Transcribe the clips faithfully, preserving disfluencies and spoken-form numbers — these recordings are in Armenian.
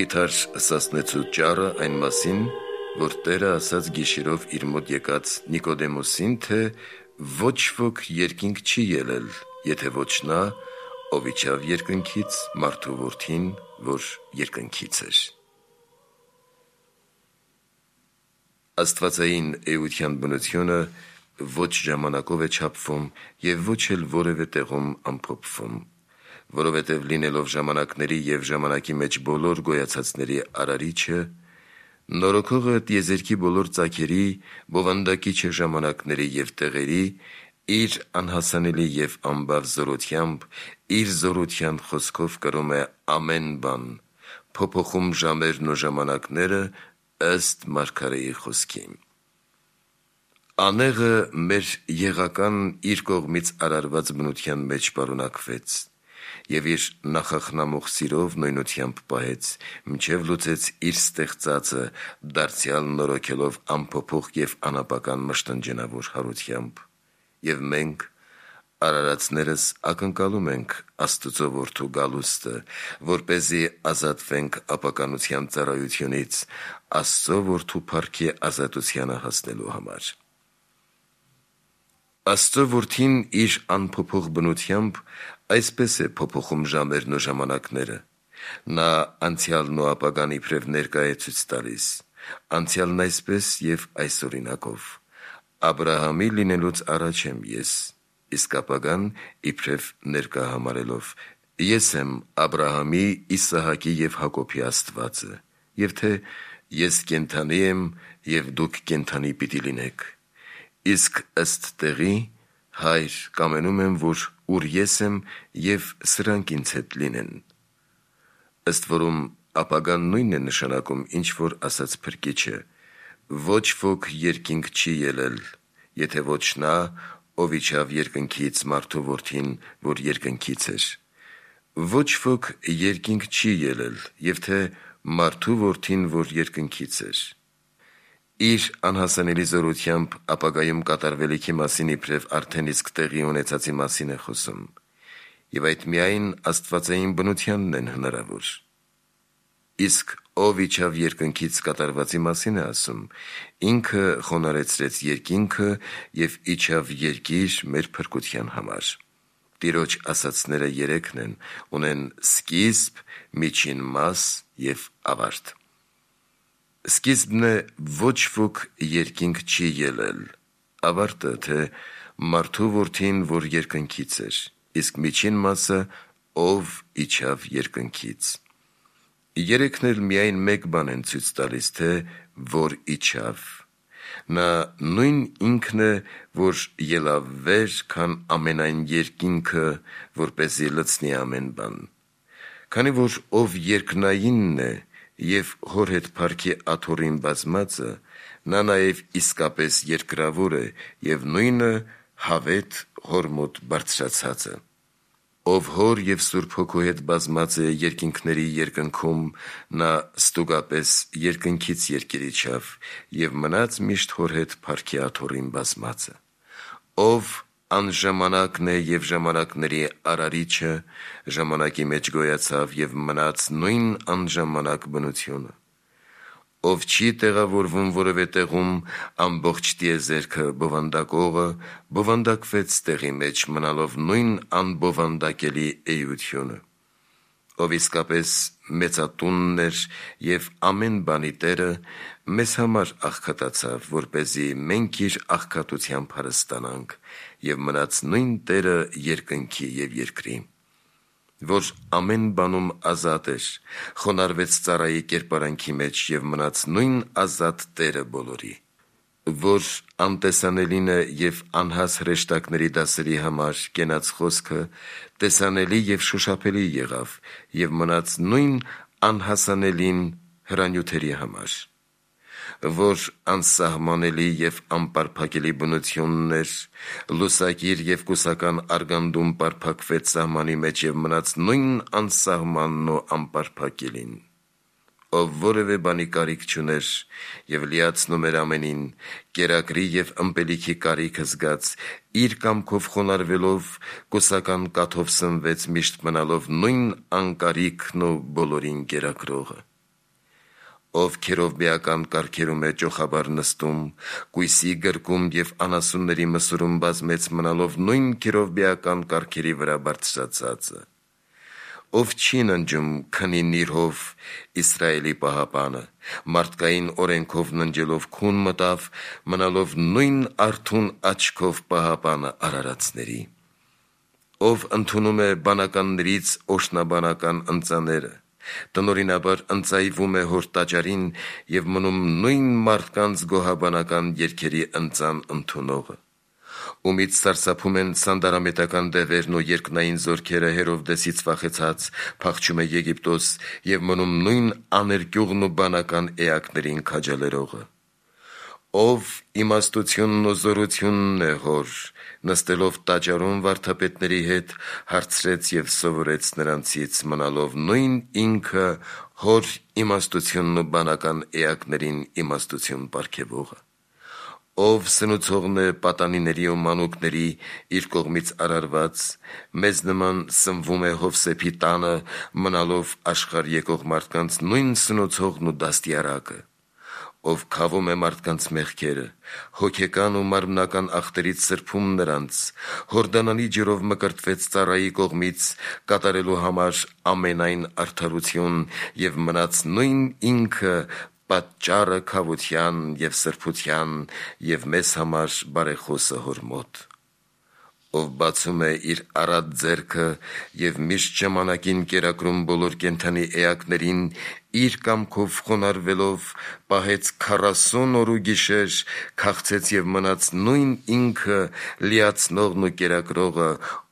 մխիթար սասնեցու ճառը այն մասին, որ Տերը ասաց գիշերով իր մոտ եկած Նիկոդեմոսին, թե ոչ ոք երկինք չի ելել, եթե ոչ նա, ով իջավ երկնքից, մարդու որդին, որ երկնքից էր։ Աստվածային էության բնությունը ոչ ժամանակով է չափվում և ոչ էլ որևէ տեղում ամփոփվում, որովհետև լինելով ժամանակների և ժամանակի մեջ բոլոր գոյացածների արարիչը, նորոգողը տիեզերքի բոլոր ծագերի, բովանդակիչը ժամանակների և տեղերի, իր անհասանելի և անբավ զորությամբ, իր զորության խոսքով կրում է ամեն բան, փոփոխում ժամերն ու ժամանակները ըստ մարգարեի խոսքի։ Անեղը մեր եղական իր կողմից արարված բնության մեջ պարունակվեց և իր նախախնամող սիրով նոյնությամբ պահեց, մինչև լուծեց իր ստեղծածը, դարձյալ նորոգելով անփոփոխ և անապական մշտնջենավոր հարությամբ, և մենք արարածներս ակնկալում ենք Աստծո Որդու գալուստը, որպեսզի ազատվենք ապականության ծառայությունից, Աստծո Որդու փառքի ազատությանը հասնելու համար։ Աստծո Որդին իր անփոփոխ բնությամբ այսպես է փոփոխում ժամերն ու ժամանակները. նա անցյալն ու ապագան իբրև ներկա է ցույց տալիս, անցյալն այսպես և այս օրինակով. Աբրահամի լինելուց առաջ եմ ես, իսկ ապագան իբրև ներկա համարելով. ես եմ Աբրահամի, Իսահակի և Հակոբի Աստվածը, և թե ես կենդանի եմ, և դուք կենդանի պիտի լինեք, իսկ ըստ տեղի, Հայր, կամենում եմ, որ ուր ես եմ, և սրանք ինձ հետ լինեն։ Ըստ որում ապագան նույնն է նշանակում, ինչ որ ասաց Փրկիչը. ոչ ոք երկինք չի ելել, եթե ոչ նա, ով իջավ երկնքից, մարդու որդին, որ երկնքից էր։ Ոչ ոք երկինք չի ելել, և թե մարդու որդին, որ երկնքից էր։ Իր անհասանելի զորությամբ ապագայում կատարվելիքի մասին իբրև արդեն իսկ տեղի ունեցածի մասին է խոսում, և այդ միայն աստվածային բնությանն են հնարավոր։ Իսկ ով իջավ երկնքից կատարվածի մասին է ասում, ինքը խոնարհեցրեց երկինքը և իջավ երկիր մեր փրկության համար։ Տիրոջ ասածները երեքն են, ունեն սկիզբ, միջին մաս և ավարտ։ Սկիզբն է ոչ ոք երկինք չի ելել, ավարտը, թե մարդու որդին, որ երկնքից էր, իսկ միջին մասը, ով իջավ երկնքից։ Երեքն էլ միայն մեկ բան են ցույց տալիս, թե որ իջավ։ Նա նույն ինքն է, որ ելավ վեր, քան ամենայն երկինքը, որպեսզի լցնի ամեն բան։ Քանի որ ով երկնայինն է և հոր հետ փառքի աթոռին բազմածը, նա նաև իսկապես երկրավոր է և նույնը հավետ հոր մոտ բարձրացածը։ Ով հոր և Սուրբ Հոգու հետ բազմած է երկինքների երկնքում, նա ստուգապես երկնքից երկիր իջավ և մնաց միշտ հոր հետ փառքի աթոռին բազմածը։ Ով անժամանակն է և ժամանակների արարիչը, ժամանակի մեջ գոյացավ և մնաց նույն անժամանակ բնությունը։ Ով չի տեղավորվում որևէ տեղում, ամբողջ տիեզերքը բովանդակողը, բովանդակվեց տեղի մեջ, մնալով նույն անբովանդակելի էությունը։ Ով իսկապես մեծատունն էր և ամեն բանի Տերը, մեզ համար աղքատացավ, որպեսզի մենք իր աղքատությամբ հարստանանք, և մնաց նույն Տերը երկնքի և երկրի, որ ամեն բանում ազատ էր, խոնարհվեց ծառայի կերպարանքի մեջ և մնաց նույն ազատ Տերը բոլորի, որ անտեսանելին է և անհաս հրեշտակների դասերի համար կենաց խոսքը տեսանելի և շոշափելի եղավ և մնաց նույն անհասանելին հրանյութերի համար, որ անսահմանելի և անպարփակելի բնությունն էր, լուսագիր և կուսական արգանդում պարփակվեց սահմանի մեջ և մնաց նույն անսահմանն ու անպարփակելին, ով որևէ բանի կարիք չուներ և լիացնում էր ամենին, կերակրի և ըմպելիքի կարիքը զգաց, իր կամքով խոնարհվելով, կուսական կաթով սնվեց, միշտ մնալով նույն անկարիքն ու բոլորին կերակրողը։ ով քերովբեական կարգերում է ճոխաբար նստում, կույսի գրկում և անասունների մսուրում բազմեց մնալով նույն քերովբեական կարգերի վրա բարձրացածը, ով չի ննջում քնի նիրհով Իսրայելի պահապանը, մարդկային օրենքով ննջելով քուն մտավ, մնալով նույն արթուն աչքով պահապանը արարածների, ով ընդունում է բանականներից օշնաբանական ընծաները, տնօրինաբար ընծայվում է հոր տաճարին և մնում նույն մարդկանց գոհաբանական երգերի ընծան ընդունողը, ումից սարսափում են սանդարամետական դևերն ու երկնային զորքերը Հերովդեսից վախեցած, փախչում է Եգիպտոս և մնում նույն աներկյուղն ու բանական էակներին քաջալերողը, ով իմաստությունն ու զորությունն է հոր, նստելով տաճարում վարդապետների հետ, հարցրեց և սովորեց նրանցից, մնալով նույն ինքը հոր իմաստությունն ու բանական էակներին իմաստություն պարգևողը, ով սնուցողն է պատանիների ու մանուկների իր կողմից արարված, մեզ նման սնվում է Հովսեփի տանը, մնալով աշխարհ եկող մարդկանց նույն սնուցողն ու դաստիարակը, ով քավում է մարդկանց մեղքերը, հոգեկան ու մարմնական ախտերից սրբում նրանց, Հորդանանի ջրով մկրտվեց ծառայի կողմից, կատարելու համար ամենայն արդարություն և մնաց նույն ինքը պատճառը քավության և սրբության և մեզ համար բարեխոսը հոր մոտ, ով բացում է իր առատ ձեռքը և միշտ ժամանակին կերակրում բոլոր կենդանի էակներին, իր կամքով խոնարհվելով պահեց քառասուն օր ու գիշեր, քաղցեց և մնաց նույն ինքը լիացնողն ու կերակրողը,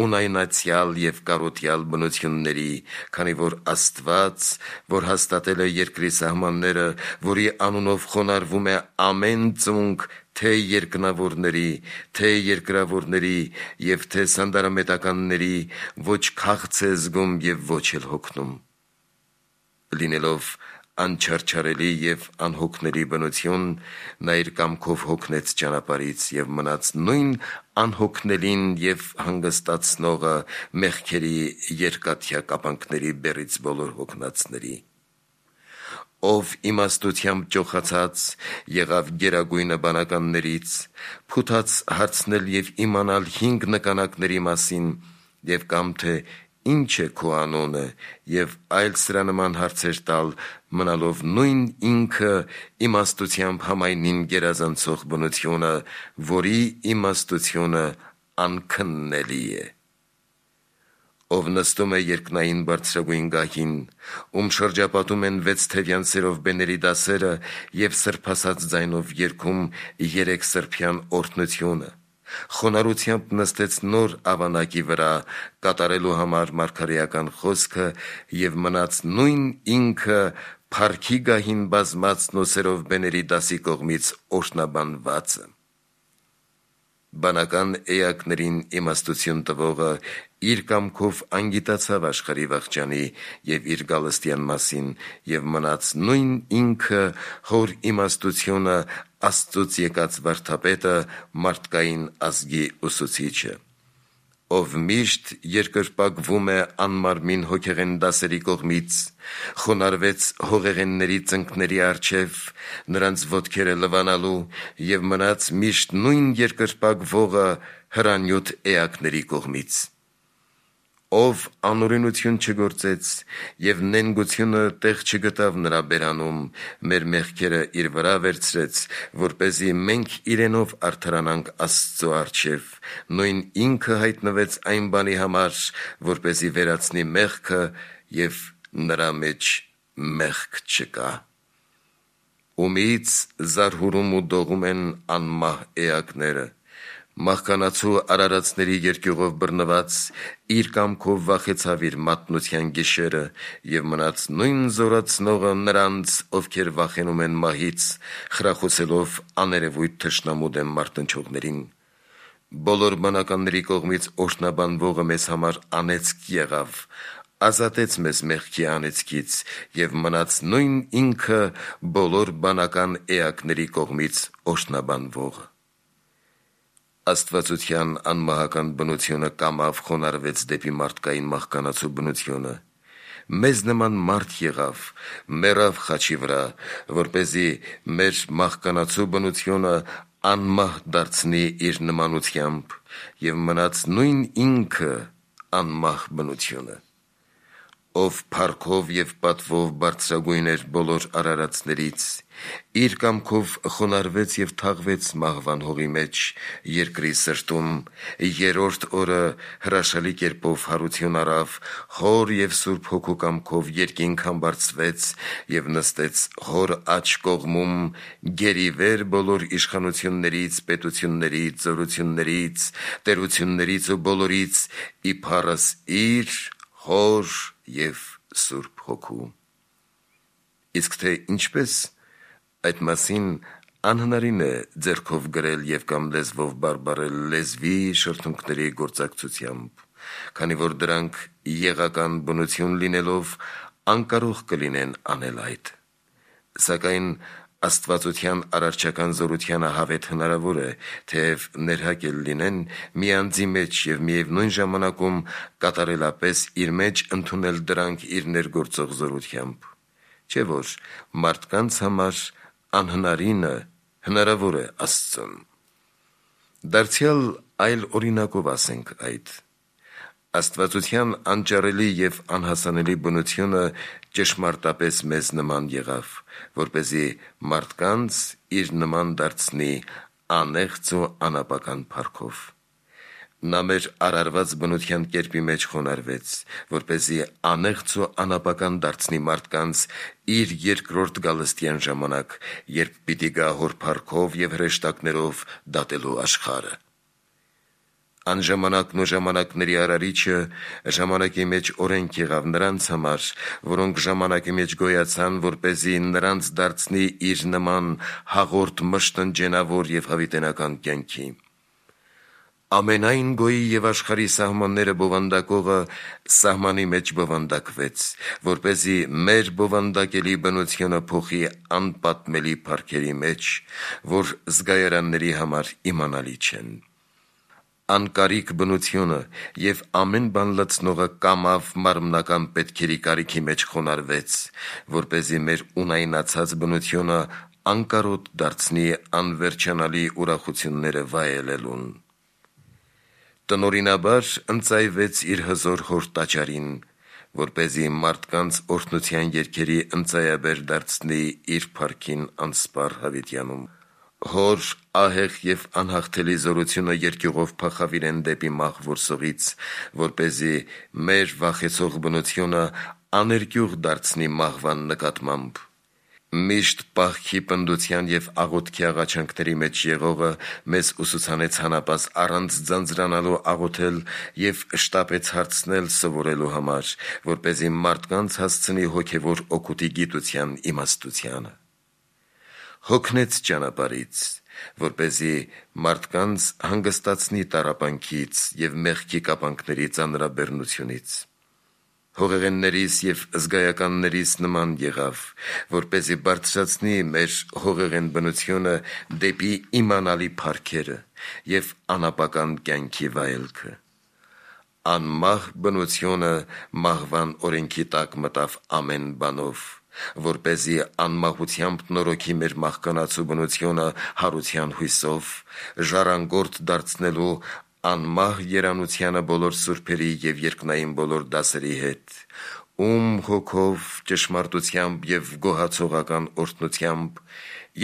ունայնացյալ և կարոտյալ բնությունների, քանի որ Աստված, որ հաստատել է երկրի սահմանները, որի անունով խոնարհվում է ամեն ծունկ, թե երկնավորների, թե երկրավորների և թե սանդարամետականների, ոչ քաղց է զգում և ոչ էլ հոգնում, լինելով անչարչարելի և անհոգների բնություն, նա իր կամքով հոգնեց ճանապարհից և մնաց նույն անհոգնելին և հանգստացնողը մեղքերի երկաթյա կապանքների բեռից բոլոր հոգնածների, ով իմաստությամբ ճոխացած եղավ գերագույնը բանականներից, փութաց հարցնել և իմանալ հինգ նկանակների մասին և կամ թե ինչ է քո անունը և այլ սրա նման հարցեր տալ, մնալով նույն ինքը իմաստությամբ համայնին գերազանցող բնությունը, որի իմաստությունը անքննելի է, ով նստում է երկնային բարձրագույն գահին, ում շրջապատում են վեցթևյան սերովբեների դասերը և սրբասած ձայնով երգում երեք սրբյան օրհնությունը, խոնարհությամբ նստեց նոր ավանակի վրա, կատարելու համար մարգարեական խոսքը և մնաց նույն ինքը փառքի գահին բազմածն ու սերովբեների դասի կողմից օրհնաբանվածը, բանական էակներին իմաստություն տվողը իր կամքով անգիտացավ աշխարհի վախճանի և իր գալստյան մասին և մնաց նույն ինքը հոր իմաստությունը Աստծուց եկած վարդապետը, մարդկային ազգի ուսուցիչը, ով միշտ երկրպագվում է անմարմին հոգեղեն դասերի կողմից, խոնարհվեց հողեղենների ծնկների առջև, նրանց ոտքերը լվանալու և մնաց միշտ նույն երկրպագվողը հրանյութ էակների կողմից, ով անօրենություն չգործեց և նենգությունը տեղ չգտավ նրա բերանում, մեր մեղքերը իր վրա վերցրեց, որպեսզի մենք իրենով արդարանանք Աստծու առջև, նույն ինքը հայտնվեց այն բանի համար, որպեսզի վերացնի մեղքը և նրա մեջ մեղք չկա, ումից զարհուրում ու դողում են անմահ էակները, մահկանացու արարածների երկյուղով բռնված, իր կամքով վախեցավ իր մատնության գիշերը և մնաց նույն զորացնողը նրանց, ովքեր վախենում են մահից, խրախուսելով աներևույթ թշնամու դեմ մարտնչողներին, բոլոր բանականների կողմից օրհնաբանվողը մեզ համար անեծք եղավ, ազատեց մեզ մեղքի անեծքից և մնաց նույն ինքը բոլոր բանական էակների կողմից օրհնաբանվողը, աստվածության անմահական բնությունը կամավ խոնարհվեց դեպի մարդկային մահկանացու բնությունը, մեզ նման մարդ եղավ, մեռավ խաչի վրա, որպեսզի մեր մահկանացու բնությունը անմահ դարձնի իր նմանությամբ, և մնաց նույն ինքը անմահ բնությունը, ով փառքով և պատվով բարձրագույն էր բոլոր արարածներից, իր կամքով խոնարհվեց և թաղվեց մահվան հողի մեջ երկրի սրտում, երրորդ օրը հրաշալի կերպով հարություն առավ, Հոր և Սուրբ Հոգու կամքով երկինք համբարձվեց և նստեց Հոր աջ կողմում, գերիվեր բոլոր իշխանություններից, պետություններից, զորություններից, տերություններից ու բոլորից, իբարս իր Հոր և Սուրբ Հոգու։ Իսկ թե ինչպես, այդ մասին անհնարին է ձեռքով գրել և կամ լեզվով բարբառել լեզվի շրթունքների գործակցությամբ, քանի որ դրանք եղական բնություն լինելով անկարող կլինեն անել այդ, սակայն աստվածության արարչական զորությանը հավետ հնարավոր է, թեև ներհակել լինեն մի անձի մեջ և միևնույն ժամանակում կատարելապես իր մեջ ընդունել դրանք իր ներգործող զորությամբ, չէ՞ որ մարդկանց համար անհնարինը հնարավոր է Աստծուն։ Դարձյալ այլ օրինակով ասենք այդ. Աստվածության անճարելի և անհասանելի բնությունը ճշմարտապես մեզ նման եղավ, որպեսզի մարդկանց իր նման դարձնի անեղծ ու անապական փառքով։ Նա մեր արարված բնության կերպի մեջ խոնարհվեց, որպեսզի անեղծ ու անապական դարձնի մարդկանց իր երկրորդ գալստյան ժամանակ, երբ պիտի գա Հոր փառքով և հրեշտակներով դատելու աշխարհը։ Անժամանակն ու ժամանակների արարիչը ժամանակի մեջ օրենք եղավ նրանց համար, որոնք ժամանակի մեջ գոյացան, որպեսզի նրանց դարձնի իր նման հաղորդ մշտնջենավոր և հավիտենական կյանքի։ Ամենայն գոյի և աշխարհի սահմանները բովանդակողը սահմանի մեջ բովանդակվեց, որպեսզի մեր բովանդակելի բնությունը փոխի անպատմելի փառքերի մեջ, որ զգայարանների համար իմանալի չեն։ Անկարիք բնությունը և ամեն բան լցնողը կամավ մարմնական պետքերի կարիքի մեջ խոնարհվեց, որպեսզի մեր ունայնացած բնությունը անկարոտ դարձնի անվերջանալի ուրախությունները վայելելուն։ Տնօրինաբար ընծայվեց իր հզոր Հոր տաճարին, որպեսզի մարդկանց օրհնության երգերի ընծայաբեր դարձնի իր փառքին անսպառ հավիտյանում։ Հոր ահեղ և անհաղթելի զորությունը երկյուղով փախավ իրեն դեպի մահ որսողից, որպեսզի մեր վախեցող բնությունը աներկյուղ դարձնի մահվան նկատմամբ։ Միշտ պահքի, պնդության և աղոթքի աղաչանքների մեջ եղողը մեզ ուսուցանեց հանապազ առանց ձանձրանալու աղոթել և շտապեց հարցնել սովորելու համար, որպեսզի մարդկանց հասցնի հոգևոր օգուտի գիտության իմաստությանը։ Հոգնեց ճանապարհից, որպեսզի մարդկանց հանգստացնի տառապանքից և մեղքի կապանքների ծանրաբեռնությունից։ Հողեղեններիս և զգայականներիս նման եղավ, որպեսզի բարձրացնի մեր հողեղեն բնությունը դեպի իմանալի փառքերը և անապական կյանքի վայելքը։ Անմահ բնությունը մահվան օրենքի տակ մտավ ամեն բանով, որպեսզի անմահությամբ նորոգի մեր մահկանացու բնությունը հարության հույսով, ժառանգորդ դարձնելու անմահ երանությանը բոլոր սուրբերի և երկնային բոլոր դասերի հետ, ում հոգով, ճշմարտությամբ և գոհացողական օրհնությամբ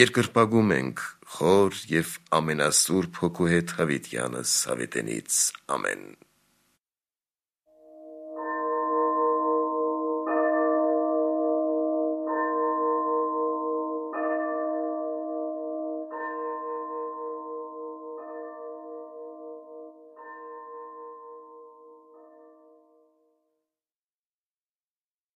երկրպագում ենք Հոր և ամենասուրբ Հոգու հետ հավիտյանս հավիտենից։ Ամեն։